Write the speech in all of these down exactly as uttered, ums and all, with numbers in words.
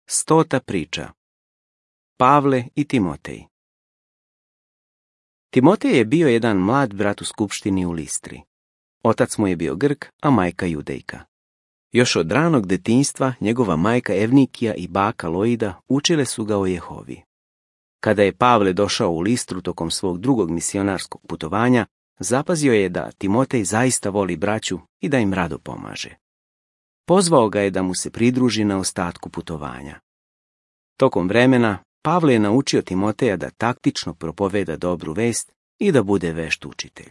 Stota priča. Pavle i Timotej. Timotej je bio jedan mlad brat u skupštini u Listri. Otac mu je bio Grk, a majka Judejka. Još od ranog detinjstva njegova majka Evnikija i baka Loida učile su ga o Jehovi. Kada je Pavle došao u Listru tokom svog drugog misionarskog putovanja, zapazio je da Timotej zaista voli braću i da im rado pomaže. Pozvao ga je da mu se pridruži na ostatku putovanja. Tokom vremena, Pavle je naučio Timoteja da taktično propoveda dobru vest i da bude vešt učitelj.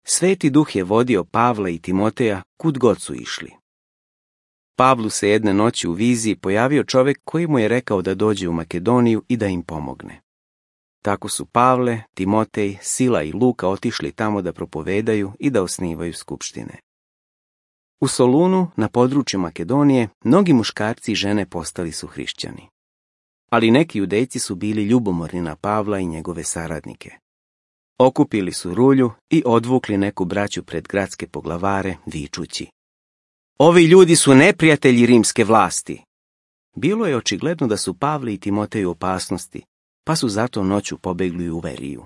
Sveti Duh je vodio Pavla i Timoteja kud god su išli. Pavlu se jedne noći u viziji pojavio čovjek koji mu je rekao da dođe u Makedoniju i da im pomogne. Tako su Pavle, Timotej, Sila i Luka otišli tamo da propovedaju i da osnivaju skupštine. U Solunu, na području Makedonije, mnogi muškarci i žene postali su hrišćani. Ali neki judejci su bili ljubomorni na Pavla i njegove saradnike. Okupili su rulju i odvukli neku braću pred gradske poglavare, vičući: "Ovi ljudi su neprijatelji rimske vlasti." Bilo je očigledno da su Pavle i Timotej u opasnosti, pa su zato noću pobegli u Veriju.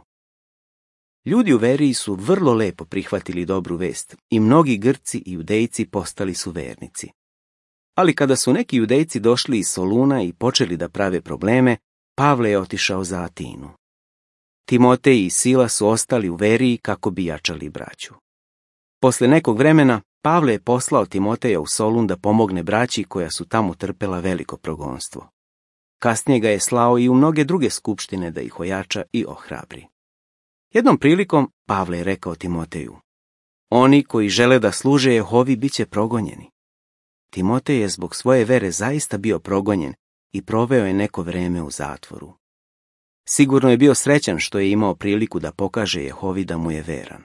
Ljudi u Veriji su vrlo lepo prihvatili dobru vest i mnogi Grci i Judejci postali su vernici. Ali kada su neki Judejci došli iz Soluna i počeli da prave probleme, Pavle je otišao za Atinu. Timotej i Sila su ostali u Veriji kako bi jačali braću. Posle nekog vremena, Pavle je poslao Timoteja u Solun da pomogne braći koja su tamo trpela veliko progonstvo. Kasnije ga je slao i u mnoge druge skupštine da ih ojača i ohrabri. Jednom prilikom Pavle je rekao Timoteju: "Oni koji žele da služe Jehovi bit će progonjeni." Timotej je zbog svoje vere zaista bio progonjen i proveo je neko vreme u zatvoru. Sigurno je bio srećan što je imao priliku da pokaže Jehovi da mu je veran.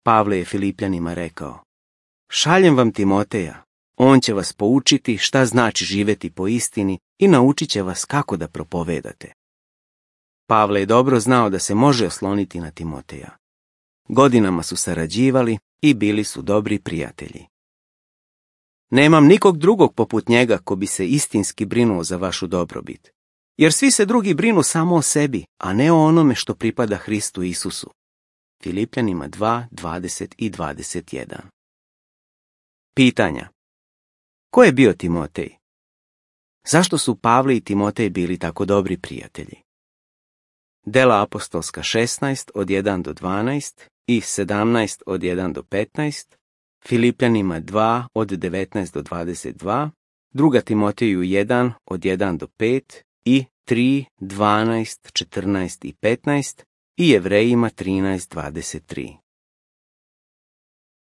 Pavle je Filipljanima rekao: "Šaljem vam Timoteja, on će vas poučiti šta znači živeti po istini i naučit će vas kako da propovedate." Pavle je dobro znao da se može osloniti na Timoteja. Godinama su sarađivali i bili su dobri prijatelji. "Nemam nikog drugog poput njega ko bi se istinski brinuo za vašu dobrobit, jer svi se drugi brinu samo o sebi, a ne o onome što pripada Hristu Isusu." Filipljanima dva, dvadeset i dvadeset jedan. Pitanja. Ko je bio Timotej? Zašto su Pavle i Timotej bili tako dobri prijatelji? Dela apostolska šesnaest od jedan do dvanaest i sedamnaest od jedan do petnaest, Filipljanima dva od devetnaest do dvadeset dva, druga Timoteju jedan od jedan do pet i tri, dvanaest, četrnaest i petnaest i Jevrejima trinaest, dvadeset tri.